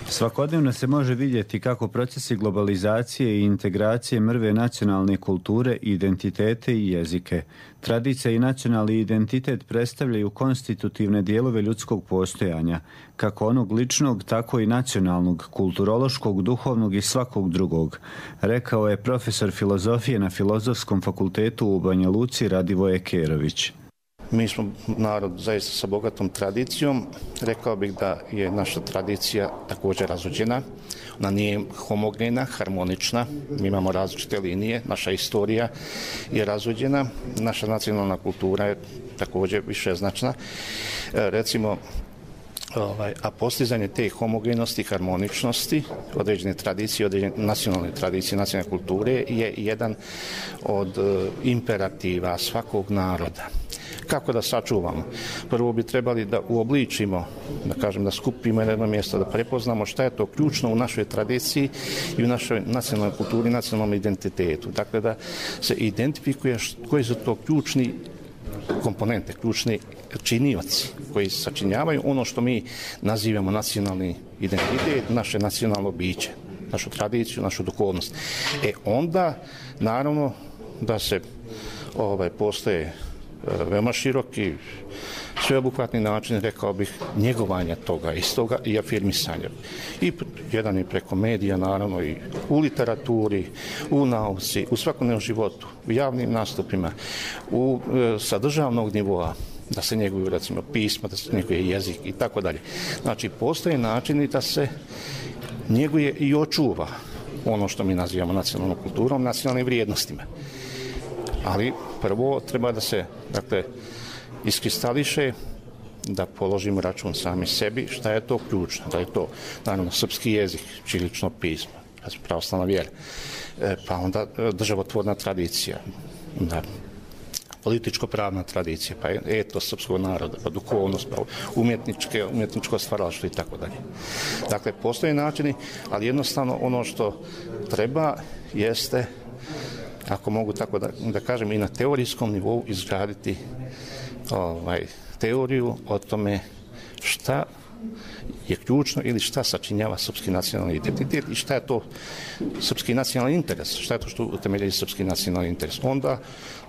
Svakodnevno se može vidjeti kako procesi globalizacije i integracije mrve nacionalne kulture, identitete i jezike. Tradicija i nacionalni identitet predstavljaju konstitutivne dijelove ljudskog postojanja, kako onog ličnog, tako i nacionalnog, kulturološkog, duhovnog i svakog drugog, rekao je profesor filozofije na Filozofskom fakultetu u Banja Luci Radivoje Kerović. Mi smo narod zaista sa bogatom tradicijom. Rekao bih da je naša tradicija također razuđena. Ona nije homogena, harmonična. Mi imamo različite linije. Naša istorija je razuđena. Naša nacionalna kultura je također višeznačna. E, recimo, Ovaj, a postizanje te homogenosti, harmoničnosti, određene tradicije, određene nacionalne tradicije, nacionalne kulture je jedan od uh, imperativa svakog naroda. Kako da sačuvamo? Prvo bi trebali da uobličimo, da kažem, da skupimo na jedno mjesto, da prepoznamo šta je to ključno u našoj tradiciji i u našoj nacionalnoj kulturi, nacionalnom identitetu. Dakle, da se identifikuje koji su to ključni komponente, ključni činioci koji sačinjavaju ono što mi nazivamo nacionalni identitet, naše nacionalno biće, našu tradiciju, našu duhovnost. E onda, naravno, da se ovaj, postoje e, veoma široki, sveobuhvatni način, rekao bih, njegovanja toga istoga i afirmisanja. I jedan je preko medija, naravno, i u literaturi, u nauci, u svakodnevnom životu, u javnim nastupima, u, e, sa državnog nivoa, da se njeguju, recimo, pisma, da se njeguje jezik i tako dalje. Znači, postoje načini da se njeguje i očuva ono što mi nazivamo nacionalnom kulturom, nacionalnim vrijednostima. Ali prvo treba da se, dakle, iskristališe, da položimo račun sami sebi, šta je to ključno, da je to, naravno, srpski jezik, ćirilično pismo, pravoslavna vjera, e, pa onda državotvorna tradicija, da, političko-pravna tradicija, pa etos srpskog naroda, pa duhovnost, pa umjetničke, umjetničko stvaralaštvo i tako dalje. Dakle, postoje načini, ali jednostavno ono što treba jeste, ako mogu tako da, da kažem, i na teorijskom nivou izgraditi ovaj, teoriju o tome šta je ključno ili šta sačinjava srpski nacionalni identitet i šta je to srpski nacionalni interes, šta je to što utemeljuje srpski nacionalni interes. Onda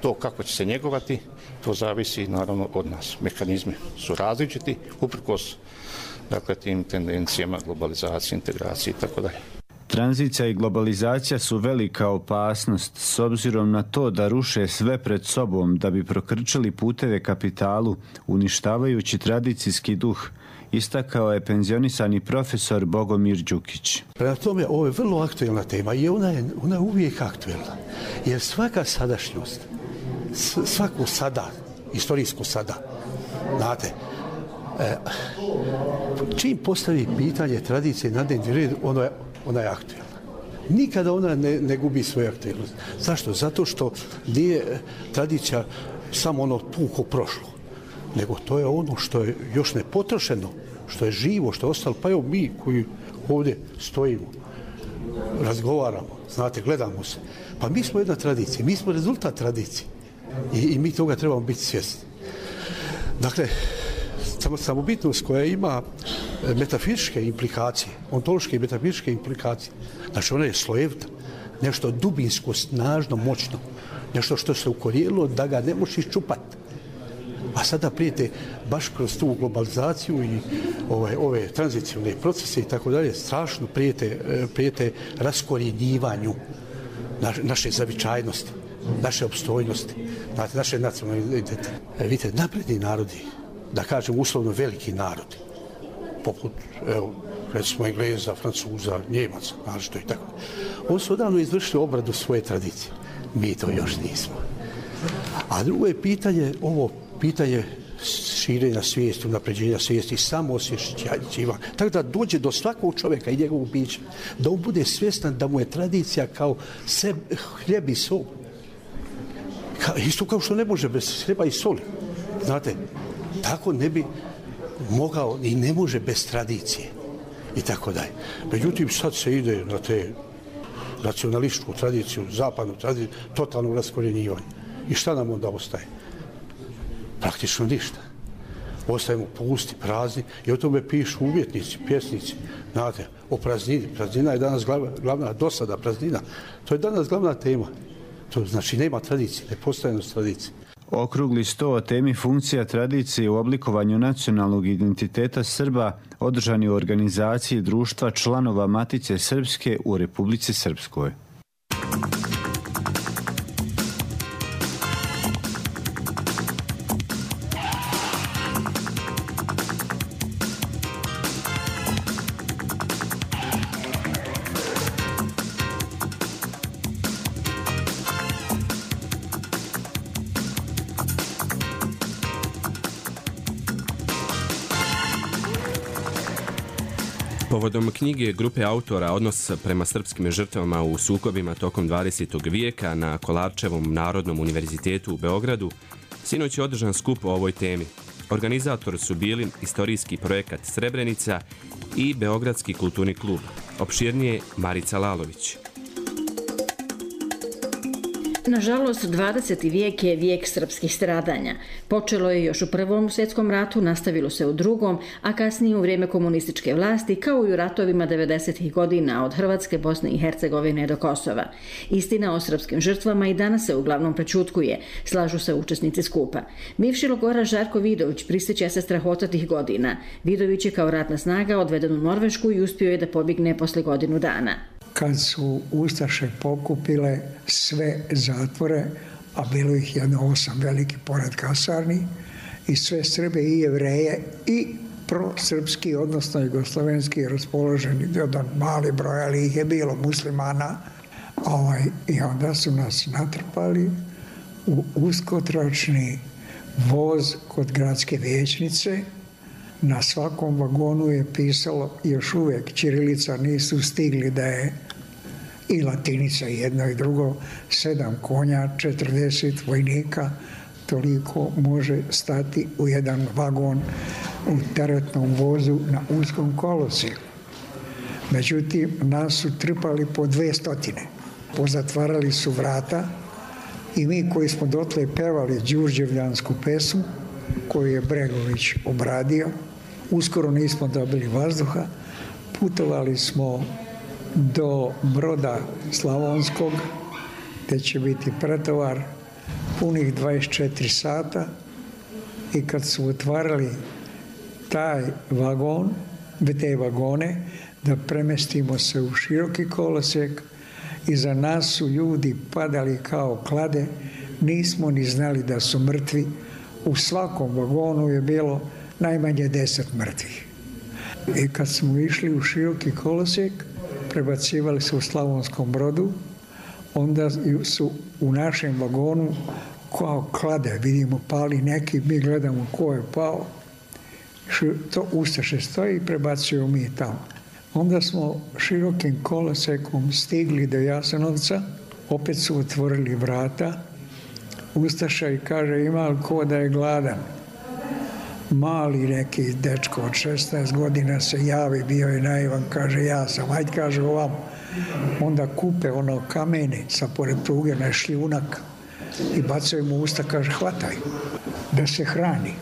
to kako će se njegovati, to zavisi naravno od nas. Mehanizmi su različiti, uprkos, dakle, tim tendencijama globalizacije, integracije i tako dalje. Tranzicija i globalizacija su velika opasnost s obzirom na to da ruše sve pred sobom da bi prokrčili puteve kapitalu, uništavajući tradicijski duh, istakao je penzionisani profesor Bogomir Đukić. Prema tome, ovo je vrlo aktuelna tema i ona je, ona je uvijek aktuelna. Jer svaka sadašnjost, svaku sada, istorijsku sada, znate, e, čim postavi pitanje tradicije na dnevni red, ono je, ona je aktuelna. Nikada ona ne, ne gubi svoju aktuelnost. Zašto? Zato što nije tradicija samo ono puko prošlo, nego to je ono što je još ne potrošeno, što je živo, što je ostalo. Pa evo mi koji ovdje stojimo, razgovaramo, znate, gledamo se. Pa mi smo jedna tradicija, mi smo rezultat tradicije i, i mi toga trebamo biti svjesni. Dakle, samobitnost koja ima metafizičke implikacije, ontološke i metafizičke implikacije, znači ona je slojevita, nešto dubinsko, snažno, moćno, nešto što se ukorijenilo da ga ne možeš iščupati. A sada prijete baš kroz tu globalizaciju i ove, ove tranzicijone procese i tako dalje, strašno prijete, prijete raskorjenjivanju naše, naše zavičajnosti, naše opstojnosti, naše nacionalne identitete. Vidite, napredni narodi, da kažem uslovno veliki narodi, poput, evo, recimo Engleza, Francuza, Njemaca, našto i tako. Oni su odavno izvršili obradu svoje tradicije. Mi to još nismo. A drugo je pitanje, ovo pitanje širenja svijesti, unapređenja svijesti, samoosvješćivanja. Tako da dođe do svakog čovjeka i njegovog bića, da on bude svjestan da mu je tradicija kao seb, hljeb i sol. Ka, isto kao što ne može bez hljeba i soli. Znate, tako ne bi mogao i ne može bez tradicije i tako dalje. Međutim, sad se ide na te nacionalističku tradiciju, zapadnu tradiciju, totalno raskorjenjivanje. I šta nam onda ostaje? Praktično ništa. ostajemo pusti, prazni i o tome pišu umjetnici, pjesnici. Znate, o praznini. Praznina je danas glavna, glavna dosada, praznina. To je danas glavna tema. To znači nema tradicije, nepostojanost tradicije. Okrugli sto o temi funkcija tradicije u oblikovanju nacionalnog identiteta Srba održan je u organizaciji Društva članova Matice Srpske u Republici Srpskoj. Povodom knjige grupe autora Odnos prema srpskim žrtvama u sukobima tokom dvadesetog vijeka na Kolarčevom Narodnom univerzitetu u Beogradu, sinoć je održan skup o ovoj temi. Organizator su bili istorijski projekat Srebrenica i Beogradski kulturni klub. Opširnije Marica Lalović. Nažalost, dvadeseti vijek je vijek srpskih stradanja. Počelo je još u Prvom svjetskom ratu, nastavilo se u Drugom, a kasnije u vrijeme komunističke vlasti, kao i u ratovima devedesetih godina od Hrvatske, Bosne i Hercegovine do Kosova. Istina o srpskim žrtvama i danas se uglavnom prečutkuje, slažu se učesnici skupa. Bivši logoraš Žarko Vidović prisjeća se strahota tih godina. Vidović je kao ratna snaga odveden u Norvešku i uspio je da pobjegne posle godinu dana. Kad su Ustaše pokupile sve zatvore, a bilo ih jedno osam veliki pored kasarni, i sve Srbe i Jevreje i prosrpski, odnosno jugoslovenski raspoloženi, jedan mali broj, ali ih je bilo muslimana, ovaj, i onda su nas natrpali u uskotračni voz kod gradske vijećnice. Na svakom vagonu je pisalo, još uvijek ćirilica nisu stigli da je i latinica jedno i drugo, sedam konja, četrdeset vojnika, toliko može stati u jedan vagon u teretnom vozu na uskom kolosijeku. Međutim, nas su trpali po dve stotine. Pozatvarali su vrata i mi koji smo dotle pevali đurđevljansku pesmu, koju je Bregović obradio, uskoro nismo dobili vazduha, putovali smo do Broda Slavonskog, gdje će biti pretovar punih dvadeset četiri sata, i kad su otvarali taj vagon, te vagone, da premestimo se u široki kolosijek, iza nas su ljudi padali kao klade, nismo ni znali da su mrtvi. U svakom vagonu je bilo najmanje deset mrtvih. I kad smo išli u široki kolosijek, prebacivali se u Slavonskom Brodu, onda su u našem vagonu kao klade, vidimo pali neki, mi gledamo ko je pao, to Ustaše stoji i prebacuju mi tamo. Onda smo širokim kolosekom stigli do Jasenovca, opet su otvorili vrata, Ustaša i kaže, ima li ko da je gladan? Mali neki dečko od šesnaest godina se javi, bio je naivan, kaže, ja sam, ajde, kaže ovamo. Onda kupe ono kamene sa pored pruge na šljunak i bacaju mu usta, kaže, hvataj, da se hrani.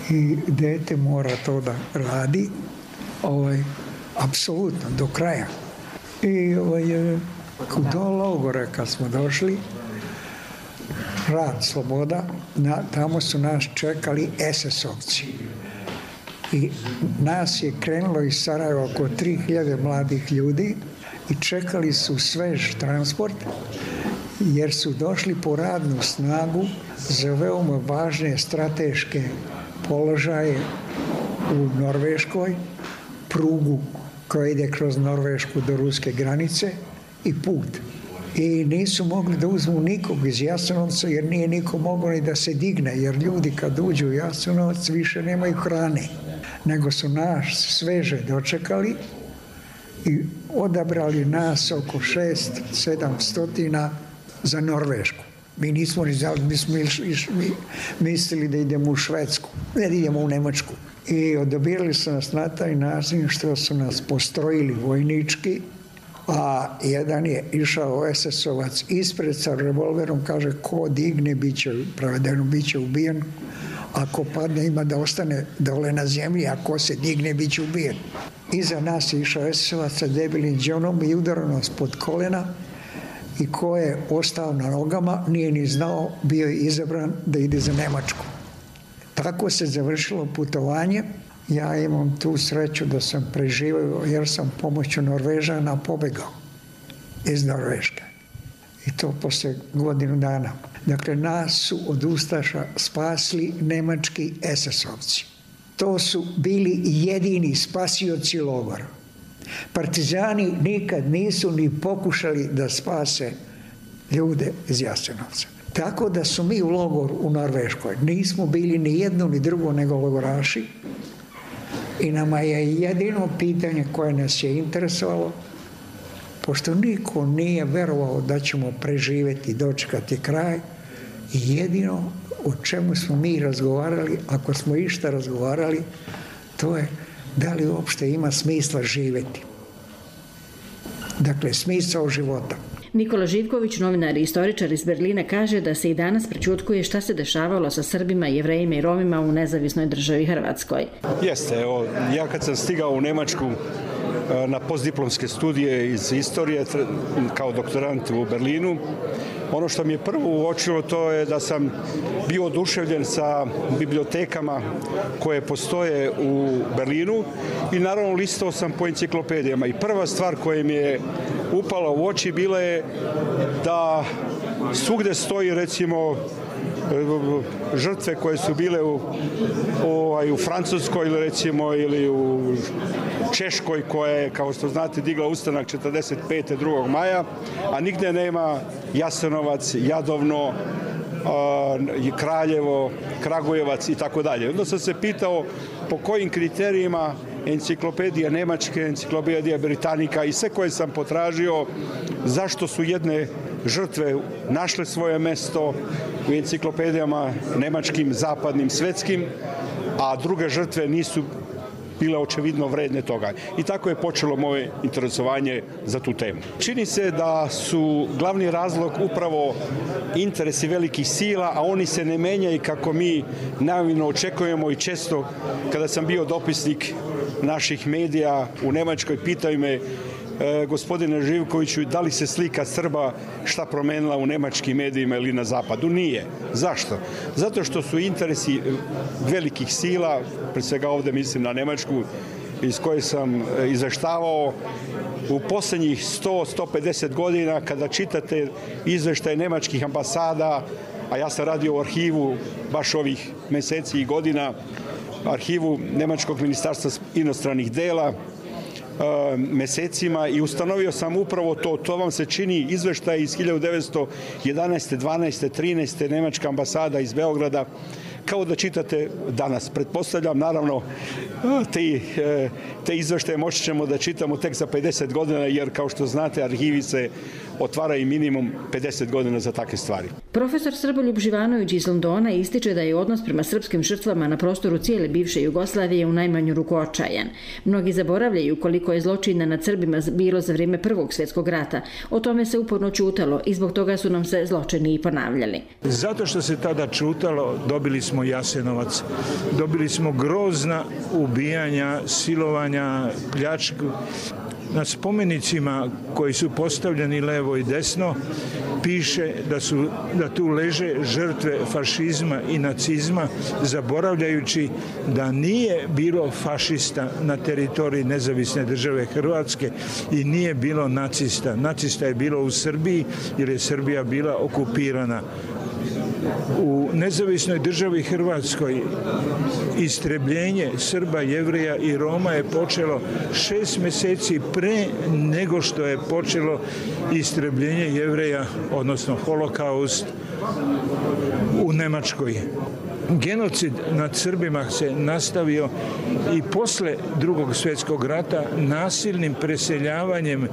I dete mora to da radi, ovaj, apsolutno, do kraja. I ovaj, do logora kad smo došli, Rad, sloboda, na, tamo su nas čekali es es ovci. I nas je krenulo iz Sarajeva oko tri hiljade mladih ljudi i čekali su svež transport, jer su došli po radnu snagu za veoma važne strateške položaje u Norveškoj, prugu koja ide kroz Norvešku do ruske granice i put. I nisu mogli da uzmu nikog iz Jasenovca, jer nije niko mogao ni da se digne, jer ljudi kad uđu u Jasenovac više nemaju hrane, nego su nas sveže dočekali i odabrali nas oko šest, sedam stotina za Norvešku. Mi nismo ni znali, mi smo išli, mislili da idemo u Švedsku, ne da idemo u Nemačku. I odabirali su nas na taj način što su nas postrojili vojnički, a jedan je išao es es ovac ispred sa revolverom, kaže, ko digne, bit će prevedeno, bit će ubijen, ako padne ima da ostane dole na zemlji, ako se digne bit će ubijen. Iza nas je išao es es ovac sa debelim đonom i udarao nas pod kolena i ko je ostao na nogama nije ni znao, bio je izabran da ide za Nemačku. Tako se završilo putovanje. Ja imam tu sreću da sam preživio jer sam pomoću Norvežana pobegao iz Norveške. I to posle godinu dana. Dakle, nas su od ustaša spasli nemački es es ovci. To su bili jedini spasioci logora. Partizani nikad nisu ni pokušali da spase ljude iz Jasenovca. Tako da su mi u logoru u Norveškoj nismo bili ni jedno ni drugo nego logoraši i nama je jedino pitanje koje nas je interesovalo, pošto niko nije verovao da ćemo preživjeti i dočekati kraj, i jedino o čemu smo mi razgovarali, ako smo išta razgovarali, to je da li uopšte ima smisla živjeti. Dakle, smisao života. Nikola Živković, novinar i istoričar iz Berlina, kaže da se i danas prećutkuje šta se dešavalo sa Srbima, Jevrejima i Romima u nezavisnoj državi Hrvatskoj. Jeste, evo, ja kad sam stigao u Nemačku na postdiplomske studije iz istorije kao doktorant u Berlinu, ono što mi je prvo uočilo to je da sam bio oduševljen sa bibliotekama koje postoje u Berlinu i naravno listao sam po enciklopedijama i prva stvar koja mi je upala u oči bila je da svugde stoji recimo žrtve koje su bile u, u, u Francuskoj ili recimo ili u Češkoj koja je, kao što znate, digla ustanak četrdeset pete drugog maja, a nigde nema Jasenovac, Jadovno, a, Kraljevo, Kragujevac i tako dalje. Onda sam se pitao po kojim kriterijima enciklopedija Nemačke, enciklopedija Britanika i sve koje sam potražio, zašto su jedne žrtve našle svoje mesto u enciklopedijama nemačkim, zapadnim, svetskim, a druge žrtve nisu bile očevidno vredne toga. I tako je počelo moje interesovanje za tu temu. Čini se da su glavni razlog upravo interesi velikih sila, a oni se ne menjaju kako mi naivno očekujemo i često kada sam bio dopisnik naših medija u Nemačkoj, pitaju me e, gospodine Živkoviću, da li se slika Srba šta promenila u nemačkim medijima ili na zapadu? Nije. Zašto? Zato što su interesi velikih sila, pre svega ovde mislim na Nemačku, iz koje sam izveštavao u poslednjih sto do sto pedeset godina, kada čitate izveštaje nemačkih ambasada, a ja sam radio u arhivu baš ovih meseci i godina, arhivu Nemačkog ministarstva inostranih dela, mesecima i ustanovio sam upravo to. To vam se čini izveštaj iz hiljadu devetsto jedanaeste, dvanaeste, trinaeste Nemačka ambasada iz Beograda, kao da čitate danas. Pretpostavljam, naravno, te, te izveštaje moći ćemo da čitamo tek za pedeset godina, jer kao što znate, arhivi se otvaraju minimum pedeset godina za takve stvari. Profesor Srboljub Živanović iz Londona ističe da je odnos prema srpskim žrtvama na prostoru cijele bivše Jugoslavije u najmanju ruku očajan. Mnogi zaboravljaju koliko je zločina nad Srbima bilo za vrijeme Prvog svjetskog rata. O tome se uporno čutalo i zbog toga su nam se zločini i ponavljali. Zato što se tada čutalo, dobili smo Jasenovac, dobili smo grozna ubijanja, silovanja, pljačku. Na spomenicima koji su postavljeni levo i desno piše da, su, da tu leže žrtve fašizma i nacizma, zaboravljajući da nije bilo fašista na teritoriji nezavisne države Hrvatske i nije bilo nacista. Nacista je bilo u Srbiji jer je Srbija bila okupirana. U nezavisnoj državi Hrvatskoj istrebljenje Srba, Jevreja i Roma je počelo šest mjeseci pre nego što je počelo istrebljenje Jevreja, odnosno holokaust u Nemačkoj. Genocid nad Srbima se nastavio i posle Drugog svjetskog rata nasilnim preseljavanjem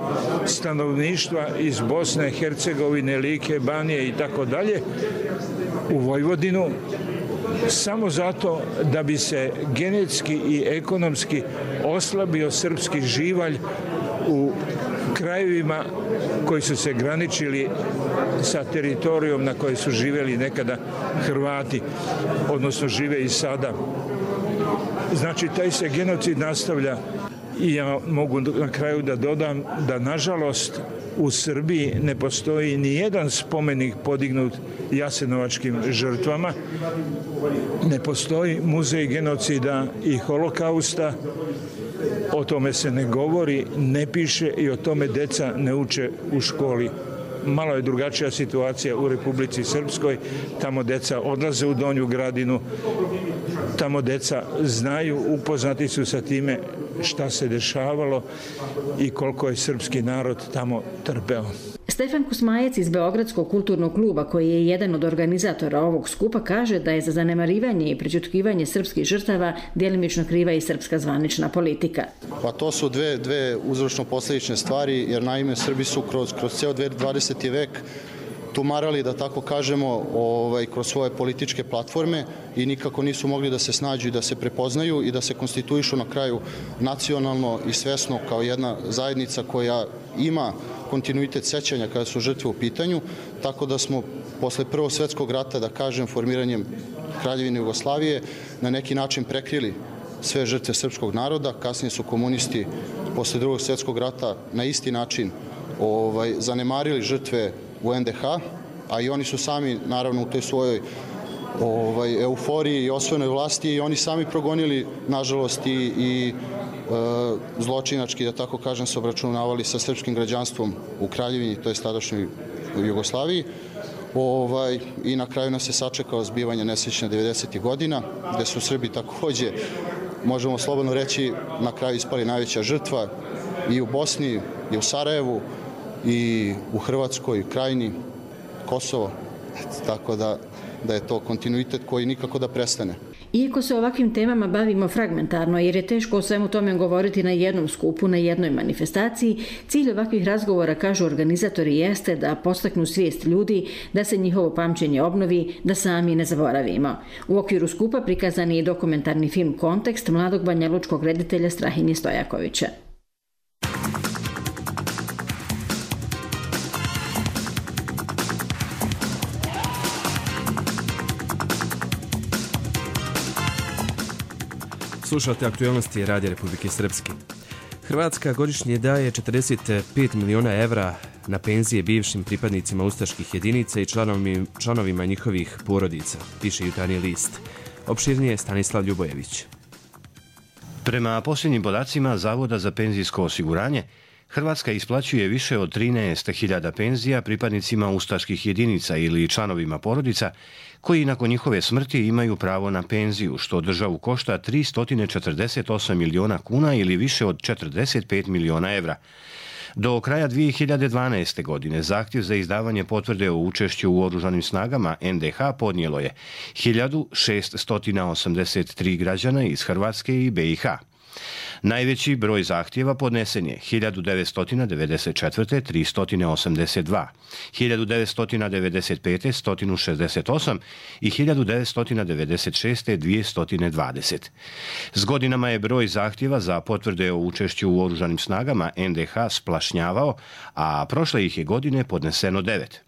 stanovništva iz Bosne, Hercegovine, Like, Banije i tako dalje u Vojvodinu, samo zato da bi se genetski i ekonomski oslabio srpski živalj u krajevima koji su se graničili sa teritorijom na kojoj su živjeli nekada Hrvati, odnosno žive i sada. Znači, taj se genocid nastavlja i ja mogu na kraju da dodam da, nažalost, u Srbiji ne postoji ni jedan spomenik podignut jasenovačkim žrtvama, ne postoji muzej genocida i holokausta, o tome se ne govori, ne piše i o tome deca ne uče u školi. Malo je drugačija situacija u Republici Srpskoj, tamo deca odlaze u Donju Gradinu, tamo deca znaju, upoznati su sa time šta se dešavalo i koliko je srpski narod tamo trpeo. Stefan Kusmajec iz Beogradskog kulturnog kluba, koji je jedan od organizatora ovog skupa, kaže da je za zanemarivanje i prećutkivanje srpskih žrtava djelimično kriva i srpska zvanična politika. Pa to su dve, dve uzročno-posljedične stvari, jer naime Srbi su kroz, kroz ceo dvadeseti vek tumarali, da tako kažemo, ovaj, kroz svoje političke platforme i nikako nisu mogli da se snađu i da se prepoznaju i da se konstituišu na kraju nacionalno i svesno kao jedna zajednica koja ima kontinuitet sećanja kada su žrtve u pitanju, tako da smo posle Prvog svjetskog rata, da kažem, formiranjem Kraljevine Jugoslavije na neki način prekrili sve žrtve srpskog naroda. Kasnije su komunisti posle Drugog svjetskog rata na isti način ovaj, zanemarili žrtve u en de ha, a i oni su sami, naravno, u toj svojoj ovaj, euforiji i osvojenoj vlasti i oni sami progonili, nažalost, i, i e, zločinački, da tako kažem, se obračunavali sa srpskim građanstvom u Kraljevini, to je tadašnjoj Jugoslaviji. Ovaj, I na kraju nas je sačekao zbivanje nesrećne devedesetih godina, gde su Srbi takođe, možemo slobodno reći, na kraju ispali najveća žrtva i u Bosni, i u Sarajevu, i u Hrvatskoj, Krajini, Kosovo, tako da, da je to kontinuitet koji nikako da prestane. Iako se ovakvim temama bavimo fragmentarno, jer je teško o svemu tome govoriti na jednom skupu, na jednoj manifestaciji, cilj ovakvih razgovora, kažu organizatori, jeste da podstaknu svijest ljudi, da se njihovo pamćenje obnovi, da sami ne zaboravimo. U okviru skupa prikazan je i dokumentarni film Kontekst mladog banjalučkog reditelja Strahinje Stojakovića. Slušate aktualnosti Radija Republike Srpske. Hrvatska godišnje daje četrdeset pet miliona evra na penzije bivšim pripadnicima ustaških jedinica i članovima, članovima njihovih porodica, piše Jutarnji list. Opširnije Stanislav Ljubojević. Prema posljednjim podacima Zavoda za penzijsko osiguranje, Hrvatska isplaćuje više od trinaest hiljada penzija pripadnicima ustaških jedinica ili članovima porodica koji nakon njihove smrti imaju pravo na penziju, što državu košta tristo četrdeset osam miliona kuna ili više od četrdeset pet miliona evra. Do kraja dvije hiljade dvanaeste. godine zahtjev za izdavanje potvrde o učešću u oružanim snagama en de ha podnijelo je hiljadu šeststo osamdeset tri građana iz Hrvatske i be i ha. Najveći broj zahtjeva podnesen je hiljadu devetsto devedeset četvrte. tristo osamdeset dva, hiljadu devetsto devedeset pete. sto šezdeset osam i hiljadu devetsto devedeset šeste. dvjesto dvadeset. S godinama je broj zahtjeva za potvrde o učešću u oružanim snagama en de ha splašnjavao, a prošle ih je godine podneseno devet.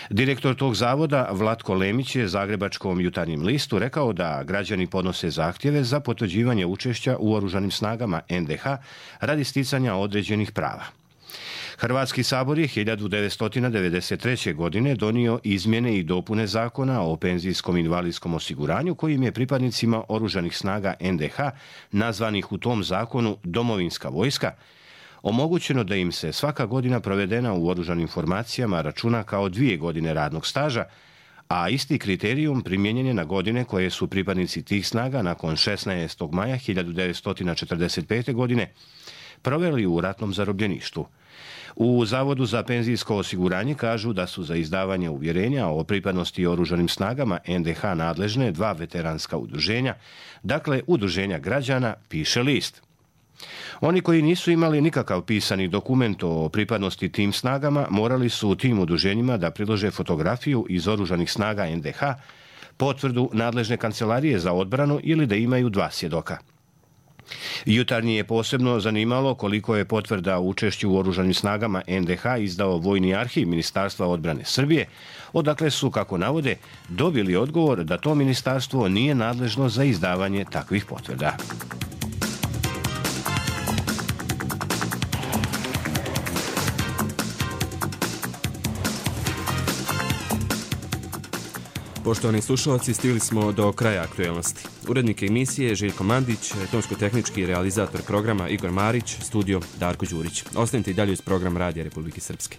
Direktor tog zavoda Vlatko Lemić je Zagrebačkom Jutarnjem listu rekao da građani podnose zahtjeve za potvrđivanje učešća u oružanim snagama en de ha radi sticanja određenih prava. Hrvatski sabor je hiljadu devetsto devedeset treće. godine donio izmjene i dopune zakona o penzijskom invalidskom osiguranju kojim je pripadnicima oružanih snaga en de ha, nazvanih u tom zakonu domovinska vojska, omogućeno da im se svaka godina provedena u oružanim formacijama računa kao dvije godine radnog staža, a isti kriterijum primijenjen je na godine koje su pripadnici tih snaga nakon šesnaestog maja hiljadu devetsto četrdeset pete. godine proveli u ratnom zarobljeništvu. U Zavodu za penzijsko osiguranje kažu da su za izdavanje uvjerenja o pripadnosti oružanim snagama en de ha nadležne dva veteranska udruženja, dakle udruženja građana, piše list. Oni koji nisu imali nikakav pisani dokument o pripadnosti tim snagama morali su u tim udruženjima da prilože fotografiju iz oružanih snaga en de ha, potvrdu nadležne kancelarije za odbranu ili da imaju dva svjedoka. Jutarnji je posebno zanimalo koliko je potvrda o učešću u oružanim snagama en de ha izdao Vojni arhiv Ministarstva odbrane Srbije, odakle su, kako navode, dobili odgovor da to ministarstvo nije nadležno za izdavanje takvih potvrda. Poštovani slušalci, stigli smo do kraja aktuelnosti. Urednik emisije Željko Mandić, tonsko-tehnički realizator programa Igor Marić, studio Darko Đurić. Ostanite i dalje uz program Radija Republike Srpske.